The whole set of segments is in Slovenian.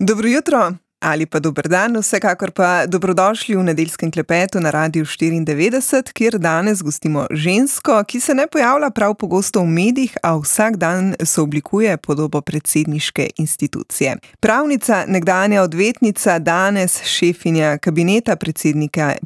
Dobro jutro ali pa dober dan, vsekakor pa dobrodošli v nedeljskem klepetu na Radiu 94, kjer danes gostimo žensko, ki se ne pojavlja prav pogosto v medijih, a vsak dan sooblikuje podobo predsedniške institucije. Pravnica, nekdanja odvetnica, danes šefinja kabineta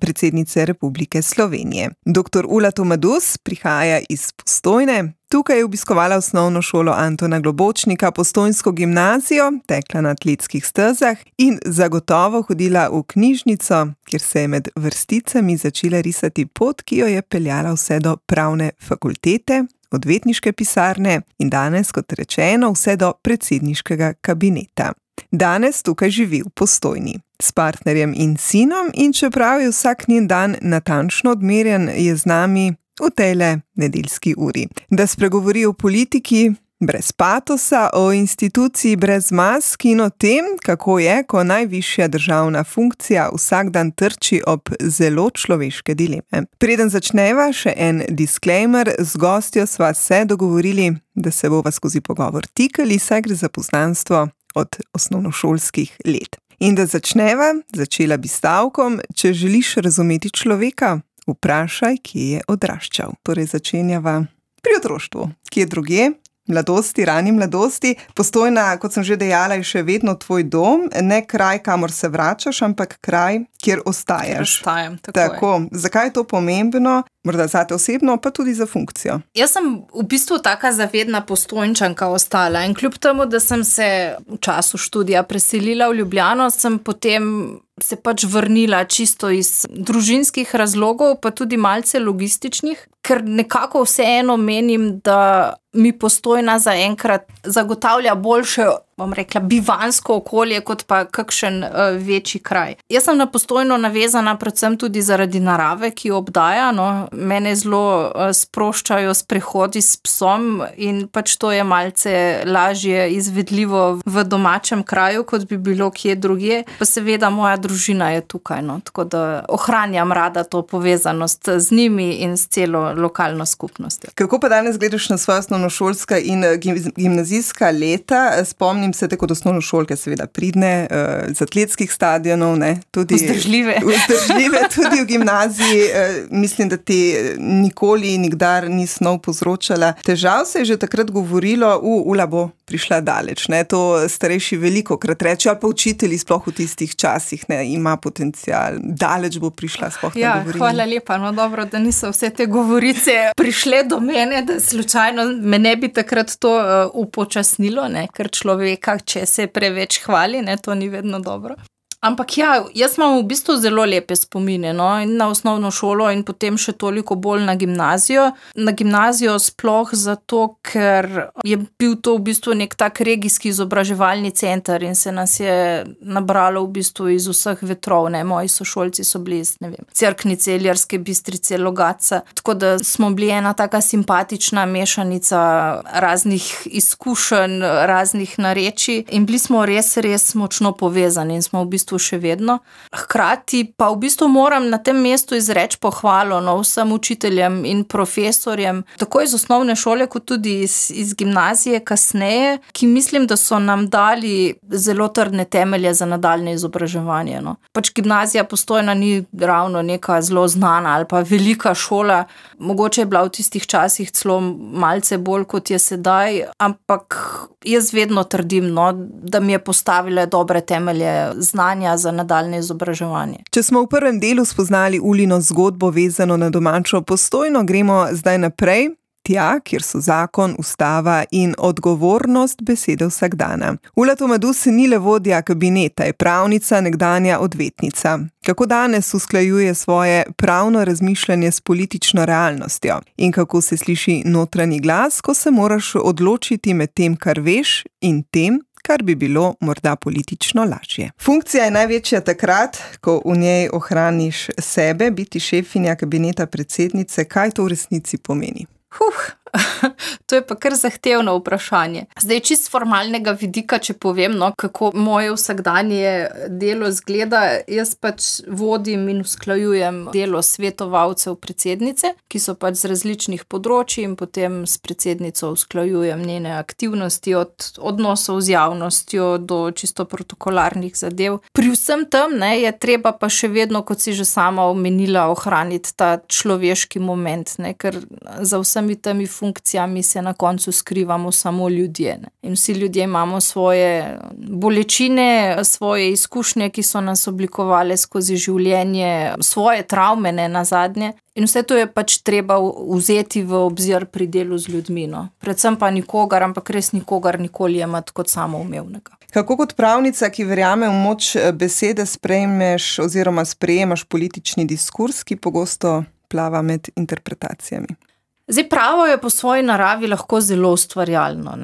predsednice Republike Slovenije. Dr. Ula Tomadus prihaja iz Postojne. Tukaj je obiskovala osnovno šolo Antona Globočnika, Postojnsko gimnazijo, tekla na atletskih stezah in zagotovo hodila v knjižnico, kjer se je med vrsticami začela risati pot, ki jo je peljala vse do pravne fakultete, odvetniške pisarne in danes, kot rečeno, vse do predsedniškega kabineta. Danes tukaj živi v Postojni s partnerjem in sinom in čeprav je vsak njen dan natančno odmerjen, je z nami v tejle nedeljski uri. Da spregovori o politiki brez patosa, o instituciji brez mask in o tem, kako je, ko najvišja državna funkcija vsak dan trči ob zelo človeške dileme. Preden začneva, še en disclaimer, z gostjo sva se dogovorili, da se bova skozi pogovor tikali, saj gre za poznanstvo od osnovnošolskih let. In da začela bi stavkom, če želiš razumeti človeka, vprašaj, kje je odraščal. Torej začenjava pri otroštvu, kje drugje, mladosti, rani mladosti. Postojna, kot sem že dejala, je še vedno tvoj dom, ne kraj, kamor se vračaš, ampak kraj, kjer ostaješ. Ostajam, tako. Zakaj je to pomembno? Morda zate osebno, pa tudi za funkcijo. Jaz sem v bistvu taka zavedna Postojnčanka ostala in kljub temu, da sem se v času študija preselila v Ljubljano, sem potem se pač vrnila čisto iz družinskih razlogov, pa tudi malce logističnih, ker nekako vseeno menim, da mi Postojna zaenkrat zagotavlja boljše, bom rekla, bivansko okolje, kot pa kakšen večji kraj. Jaz sem na Postojno navezana predvsem tudi zaradi narave, ki jo obdaja, no. Mene zelo sproščajo sprehodi s psom in pač to je malce lažje izvedljivo v domačem kraju, kot bi bilo kje drugje. Pa seveda moja družina je tukaj, no. Tako da ohranjam rada to povezanost z njimi in s celo lokalno skupnostjo. Kako pa danes gledaš na svoja osnovnošolska in gimnazijska leta? Spomnim se te kot osnovnošolke, seveda pridne, z atletskih stadionov, ne? Tudi vzdržljive tudi v gimnaziji. Mislim, da ti nikoli, nikdar ni snov povzročala težav. Se je že takrat govorilo, Ula bo prišla daleč, ne? To starejši velikokrat reče, ali pa učitelji sploh v tistih časih, ne, ima potencial, daleč bo prišla, sploh ne govorim. Hvala lepa, no dobro, da niso vse te govorice prišle do mene, da slučajno me ne bi takrat to upočasnilo, ne, ker človeka, če se preveč hvali, ne, to ni vedno dobro. Ampak ja, jaz imam v bistvu zelo lepe spomine, no, in na osnovno šolo in potem še toliko bolj na gimnazijo. Na gimnazijo sploh zato, ker je bil to v bistvu nek tak regijski izobraževalni center in se nas je nabralo v bistvu iz vseh vetrov, ne, moji sošolci so bili iz, ne vem, Cerknice, Ilirske Bistrice, Logatca, tako da smo bili ena taka simpatična mešanica raznih izkušenj, raznih narečij in bili smo res močno povezani in smo v bistvu še vedno. Hkrati pa v bistvu moram na tem mestu izreči pohvalo, no, vsem učiteljem in profesorjem, tako iz osnovne šole, kot tudi iz gimnazije kasneje, ki mislim, da so nam dali zelo trdne temelje za nadaljnje izobraževanje, no. Pač gimnazija Postojna ni ravno neka zelo znana ali pa velika šola, mogoče je bila v tistih časih celo malce bolj, kot je sedaj, ampak jaz vedno trdim, no, da mi je postavila dobre temelje znanja za nadaljne izobraževanje. Če smo v prvem delu spoznali Ulino zgodbo vezano na domačo Postojno, gremo zdaj naprej, tja, kjer so zakon, ustava in odgovornost besede vsakdana. Ula Tomadus ni le vodja kabineta, je pravnica, nekdanja odvetnica. Kako danes usklajuje svoje pravno razmišljanje s politično realnostjo in kako se sliši notranji glas, ko se moraš odločiti med tem, kar veš, in tem, kar bi bilo morda politično lažje. Funkcija je največja takrat, ko v njej ohraniš sebe, biti šefinja kabineta predsednice. Kaj to v resnici pomeni? To je pa kar zahtevno vprašanje. Zdaj, čist formalnega vidika, če povem, kako moje vsakdanje delo zgleda, jaz pač vodim in usklajujem delo svetovalcev predsednice, ki so pač z različnih področij in potem s predsednico usklajujem njene aktivnosti od odnosov z javnostjo do čisto protokolarnih zadev. Pri vsem tem je treba pa še vedno, kot si že sama omenila, ohraniti ta človeški moment, ker za vsemi temi funkcijami se na koncu skrivamo samo ljudje. In vsi ljudje imamo svoje bolečine, svoje izkušnje, ki so nas oblikovali skozi življenje, svoje travme nazadnje. In vse to je pač treba vzeti v obzir pri delu z ljudmi. Predvsem pa nikogar, ampak res nikogar nikoli jemati kot samoumevnega. Kako kot pravnica, ki verjame v moč besede, sprejmeš oziroma sprejemaš politični diskurs, ki pogosto plava med interpretacijami? Zdaj, pravo je po svoji naravi lahko zelo ustvarjalno.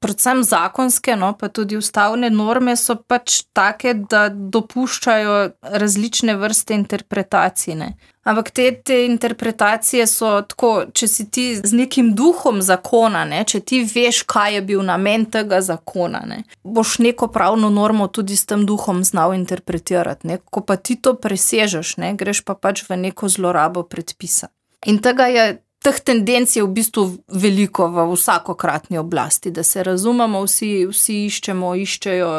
Predvsem zakonske, pa tudi ustavne norme so pač take, da dopuščajo različne vrste interpretacij. Ampak te interpretacije so tako, če si ti z nekim duhom zakona, če ti veš, kaj je bil namen tega zakona, boš neko pravno normo tudi s tem duhom znal interpretirati. Ko pa ti to presežeš, greš pa pač v neko zlorabo predpisa. In teh tendenc je v bistvu veliko v vsakokratni oblasti, da se razumemo, vsi iščejo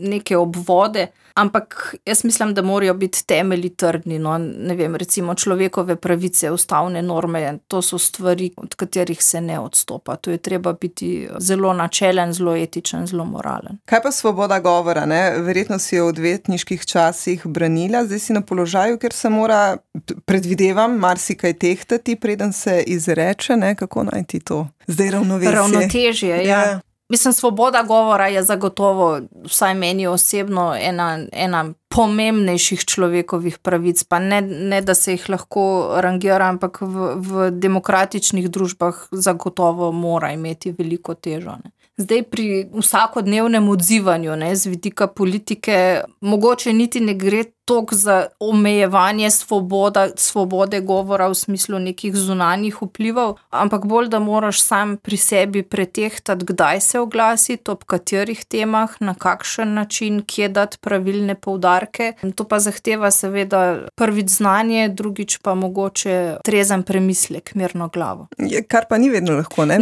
neke obvode, ampak jaz mislim, da morajo biti temelji trdni. Ne vem, recimo človekove pravice, ustavne norme, to so stvari, od katerih se ne odstopa. To je treba biti zelo načelen, zelo etičen, zelo moralen. Kaj pa svoboda govora? Verjetno si jo v odvetniških časih branila, zdaj si na položaju, ker se mora, predvidevam, marsikaj tehtati, preden se izreče, kako najti to zdaj ravnovesje? Ravnotežje, ja. Mislim, svoboda govora je zagotovo, vsaj meni osebno, ena pomembnejših človekovih pravic, pa ne da se jih lahko rangira, ampak v demokratičnih družbah zagotovo mora imeti veliko težo. Zdaj pri vsakodnevnem odzivanju z vidika politike mogoče niti ne gre toliko za omejevanje svobode govora v smislu nekih zunanjih vplivov, ampak bolj, da moraš sam pri sebi pretehtati, kdaj se oglasiti, ob katerih temah, na kakšen način, kje dati pravilne poudarke. To pa zahteva seveda prvič znanje, drugič pa mogoče trezen premislek, mirno glavo. Kar pa ni vedno lahko, Ne,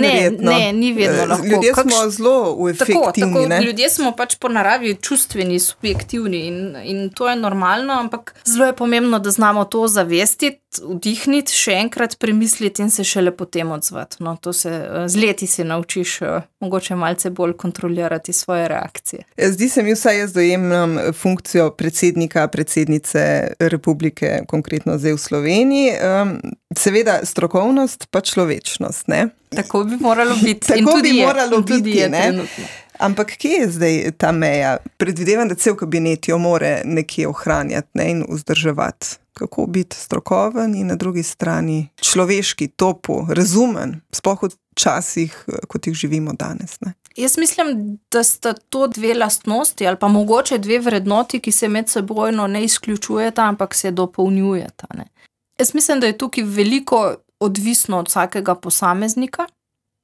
ni vedno lahko. Ljudje smo zelo efektivni. Tako, ljudje smo pač po naravi čustveni, subjektivni in to je normalno, ampak zelo je pomembno, da znamo to zavestiti, vdihniti, še enkrat premisliti in se šele potem odzvati. To se z leti se naučiš mogoče malce bolj kontrolirati svoje reakcije. Zdi se mi, vsaj jaz dojemam funkcijo predsednice republike, konkretno zdaj v Sloveniji. Seveda strokovnost pa človečnost, ne? Tako bi moralo biti. Tudi je trenutno. Ampak kje je zdaj ta meja? Predvidevam, da cel kabinet jo more nekje ohranjati in vzdrževati. Kako biti strokoven in na drugi strani človeški, topu, razumen, sploh v časih, kot jih živimo danes. Jaz mislim, da sta to dve lastnosti ali pa mogoče dve vrednoti, ki se med sebojno ne izključujeta, ampak se dopolnjujeta. Jaz mislim, da je tukaj veliko odvisno od vsakega posameznika,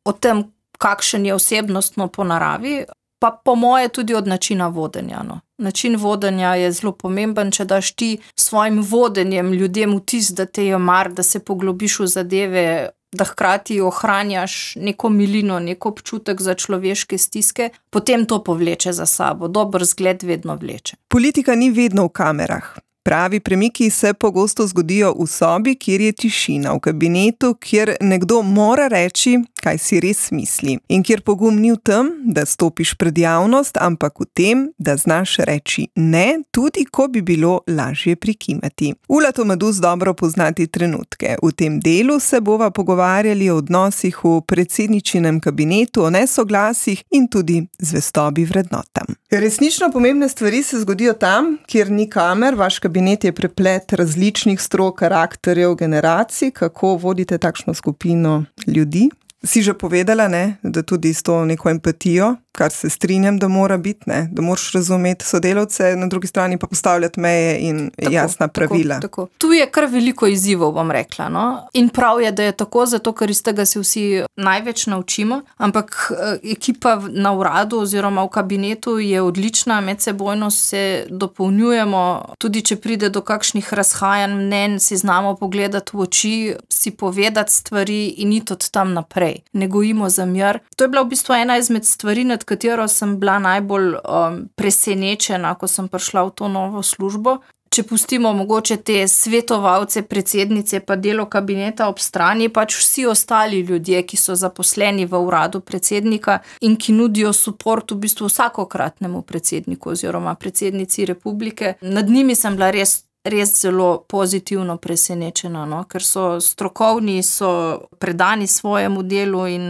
od tem, kakšen je osebnostno po naravi, pa po moje tudi od načina vodenja. Način vodenja je zelo pomemben, če daš ti svojim vodenjem ljudem vtis, da te je mar, da se poglobiš v zadeve, da hkrati ohranjaš neko milino, neko občutek za človeške stiske, potem to povleče za sabo. Dober zgled vedno vleče. Politika ni vedno v kamerah. Pravi premiki se pogosto zgodijo v sobi, kjer je tišina, v kabinetu, kjer nekdo mora reči, kaj si res misli. In kjer pogum ni v tem, da stopiš pred javnost, ampak v tem, da znaš reči ne, tudi ko bi bilo lažje prikimati. Ula Tomadus dobro poznati trenutke. V tem delu se bova pogovarjali o odnosih v predsedničinem kabinetu, o nesoglasjih in tudi zvestobi vrednotam. Resnično pomembne stvari se zgodijo tam, kjer ni kamer. Vaš kabinet je preplet različnih strok, karakterjev, generacij. Kako vodite takšno skupino ljudi? Si že povedala, da tudi s to neko empatijo, kar se strinjam, da mora biti, ne? Da moraš razumeti sodelavce, na drugi strani pa postavljati meje in jasna pravila. Tako. Tu je kar veliko izzivov, bom rekla. No? In prav je, da je tako, zato ker iz tega se vsi največ naučimo, ampak ekipa na uradu oziroma v kabinetu je odlična, medsebojno se dopolnjujemo, tudi če pride do kakšnih razhajanj mnenj, si znamo pogledati v oči, si povedati stvari in iti od tam naprej. Ne gojimo zamjer. To je bila v bistvu ena izmed stvari, nad katero sem bila najbolj presenečena, ko sem prišla v to novo službo. Če pustimo mogoče te svetovalce, predsednice pa delo kabineta ob strani, pač vsi ostali ljudje, ki so zaposleni v uradu predsednika in ki nudijo suport v bistvu vsakokratnemu predsedniku oziroma predsednici republike, nad njimi sem bila res zelo pozitivno presenečena, no? Ker so strokovni, so predani svojemu delu in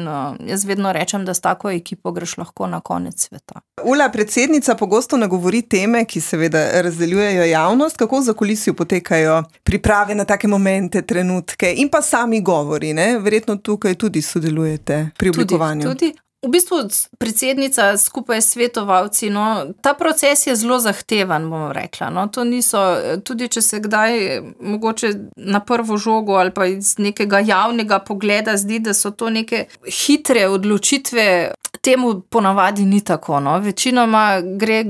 jaz vedno rečem, da s tako ekipo greš lahko na konec sveta. Ula, predsednica pogosto nagovori teme, ki seveda razdeljujejo javnost, kako v zakulisju potekajo priprave na take momente, trenutke in pa sami govori, ne? Verjetno tukaj tudi sodelujete pri oblikovanju. Tudi. V bistvu predsednica skupaj s svetovalci, no, ta proces je zelo zahteven, bom rekla. No, to niso, tudi če se kdaj mogoče na prvo žogo ali pa iz nekega javnega pogleda zdi, da so to neke hitre odločitve, temu ponavadi ni tako. No. Večinoma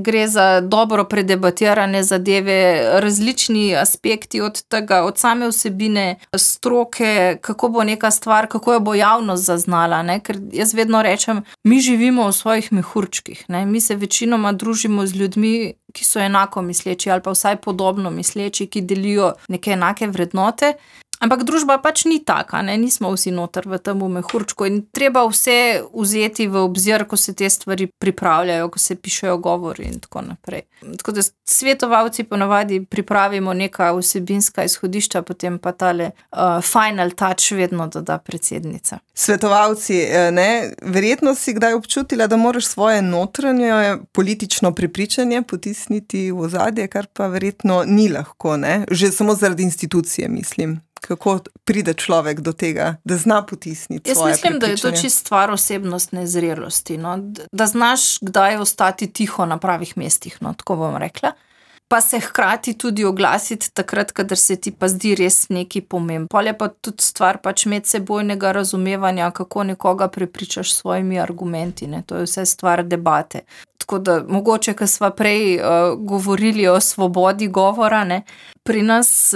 gre za dobro predebatirane zadeve, različni aspekti od tega, od same vsebine, stroke, kako bo neka stvar, kako jo bo javnost zaznala, ne, ker jaz vedno rečem, mi živimo v svojih mehurčkih, ne? Mi se večinoma družimo z ljudmi, ki so enako misleči ali pa vsaj podobno misleči, ki delijo neke enake vrednote. Ampak družba pač ni taka, ne? Nismo vsi noter v tem mehurčku in treba vse vzeti v obzir, ko se te stvari pripravljajo, ko se pišejo govori in tako naprej. Tako da svetovalci ponavadi pripravimo neka vsebinska izhodišča, potem pa tale final touch vedno doda predsednica. Svetovalci, ne, verjetno si kdaj občutila, da moraš svoje notranje politično prepričanje potisniti v ozadje, kar pa verjetno ni lahko, ne? Že samo zaradi institucije, mislim. Kako pride človek do tega, da zna potisniti svoje prepričanje? Jaz mislim, da je to čist stvar osebnostne zrelosti, no? Da znaš kdaj ostati tiho na pravih mestih, no? Tako bom rekla. Pa se hkrati tudi oglasiti takrat, kadar se ti pa zdi res nekaj pomembno. Pol je pa tudi stvar pač medsebojnega razumevanja, kako nekoga prepričaš s svojimi argumenti, ne? To je vse stvar debate. Tako da mogoče, ko sva prej govorili o svobodi govora, ne? Pri nas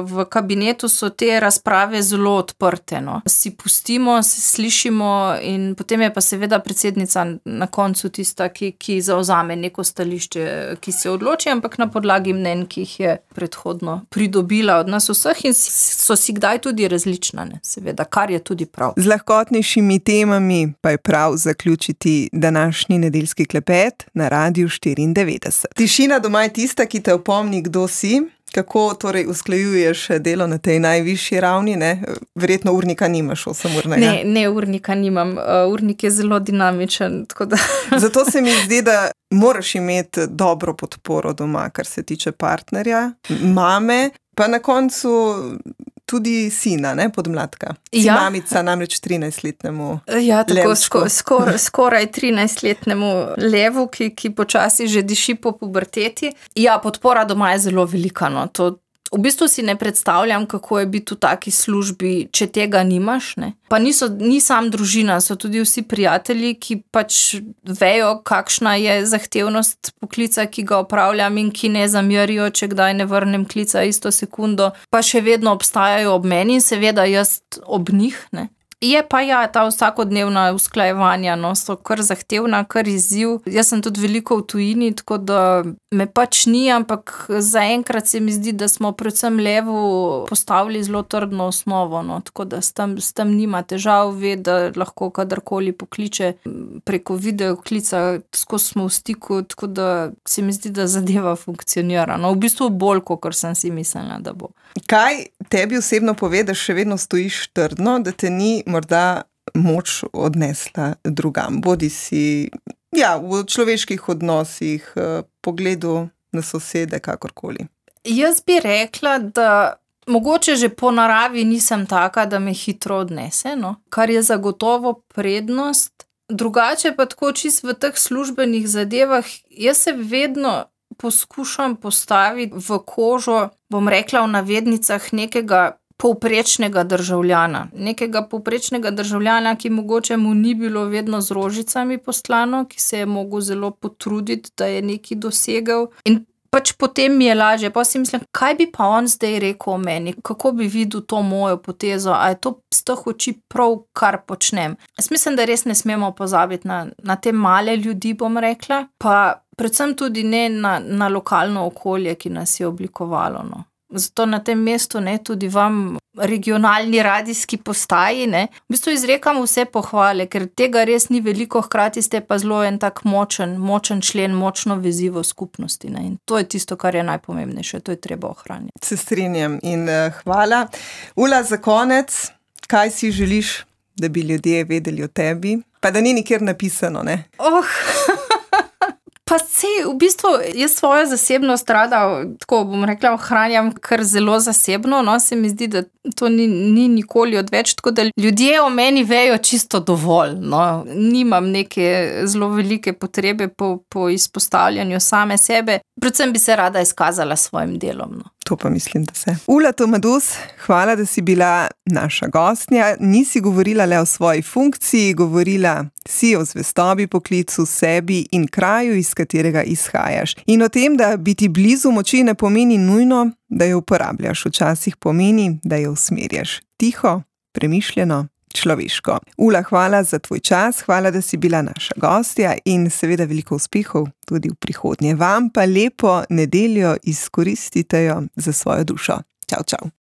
v kabinetu so te razprave zelo odprte. No? Si pustimo, se slišimo in potem je pa seveda predsednica na koncu tista, ki zauzame neko stališče, ki se odloči, ampak na podlagi mnenj, ki jih je predhodno pridobila od nas vseh in so si kdaj tudi različna, ne? Seveda, kar je tudi prav. Z lahkotnejšimi temami pa je prav zaključiti današnji nedeljski klepet na Radiu 94. Tišina doma je tista, ki te opomni, kdo si. Kako torej usklajuješ delo na tej najvišji ravni? Ne? Verjetno urnika nimaš 8-urnega. Ne, urnika nimam. Urnik je zelo dinamičen. Tako da. Zato se mi zdi, da moraš imeti dobro podporo doma, kar se tiče partnerja, mame, pa na koncu tudi sina, ne, podmladka. Si mamica namreč 13-letnemu ja, tako Levčku. Skoraj 13-letnemu Levu, ki počasi že diši po puberteti. Ja, podpora doma je zelo velika, no. To v bistvu si ne predstavljam, kako je biti v taki službi, če tega nimaš, ne. Pa ni sam družina, so tudi vsi prijatelji, ki pač vejo, kakšna je zahtevnost poklica, ki ga opravljam in ki ne zamerijo, če kdaj ne vrnem klica isto sekundo, pa še vedno obstajajo ob meni in seveda jaz ob njih, ne. Je pa ja, ta vsakodnevna usklajevanja, no, so kar zahtevna, kar izziv. Jaz sem tudi veliko v tujini, tako da me pač ni, ampak zaenkrat se mi zdi, da smo predvsem Levu postavili zelo trdno osnovo, no, tako da s tem nima težav, ve, da lahko kadarkoli pokliče preko videoklica, skozi smo v stiku, tako da se mi zdi, da zadeva funkcionira. No, v bistvu bolj, kot sem si mislila, da bo. Kaj tebi osebno pove, da še vedno stojiš trdno, da te ni morda moč odnesla drugam? Bodi si v človeških odnosih, pogledu na sosede, kakorkoli. Jaz bi rekla, da mogoče že po naravi nisem taka, da me hitro odnese, no? Kar je zagotovo prednost, Drugače pa tako čisto v teh službenih zadevah, jaz se vedno poskušam postaviti v kožo, bom rekla v navednicah, nekega povprečnega državljana. Nekega povprečnega državljana, ki mogoče mu ni bilo vedno z rožicami poslano, ki se je mogel zelo potruditi, da je nekaj dosegel. In pač potem mi je lažje. Pa si mislim, kaj bi pa on zdaj rekel o meni? Kako bi videl to mojo potezo? A je to z teh oči prav, kar počnem? Jaz mislim, da res ne smemo pozabiti na te male ljudi, bom rekla, pa predvsem tudi ne na lokalno okolje, ki nas je oblikovalo, no. Zato na tem mestu, ne, tudi vam regionalni radijski postaji, ne, v bistvu izrekam vse pohvale, ker tega res ni veliko, hkrati ste pa zelo en tak močen člen, močno vezivo skupnosti, ne, in to je tisto, kar je najpomembnejše, to je treba ohranjati. Se strinjam in hvala. Ula, za konec, kaj si želiš, da bi ljudje vedeli o tebi? Pa da ni nikjer napisano, ne? Pa v bistvu jaz svojo zasebnost rada, tako bom rekla, ohranjam kar zelo zasebno, no, se mi zdi, da to ni nikoli odveč, tako da ljudje o meni vejo čisto dovolj, no, nimam neke zelo velike potrebe po izpostavljanju same sebe, predvsem bi se rada izkazala s svojim delom, no. To pa mislim, da se. Ula Tomadus, hvala, da si bila naša gostja. Nisi govorila le o svoji funkciji, govorila si o zvestobi poklicu, sebi in kraju, iz katerega izhajaš. In o tem, da biti blizu moči ne pomeni nujno, da jo uporabljaš. Včasih pomeni, da jo usmerjaš. Tiho, premišljeno, človeško. Ula, hvala za tvoj čas, hvala, da si bila naša gostja in seveda veliko uspehov tudi v prihodnje. Vam pa lepo nedeljo izkoristite jo za svojo dušo. Čau, čau.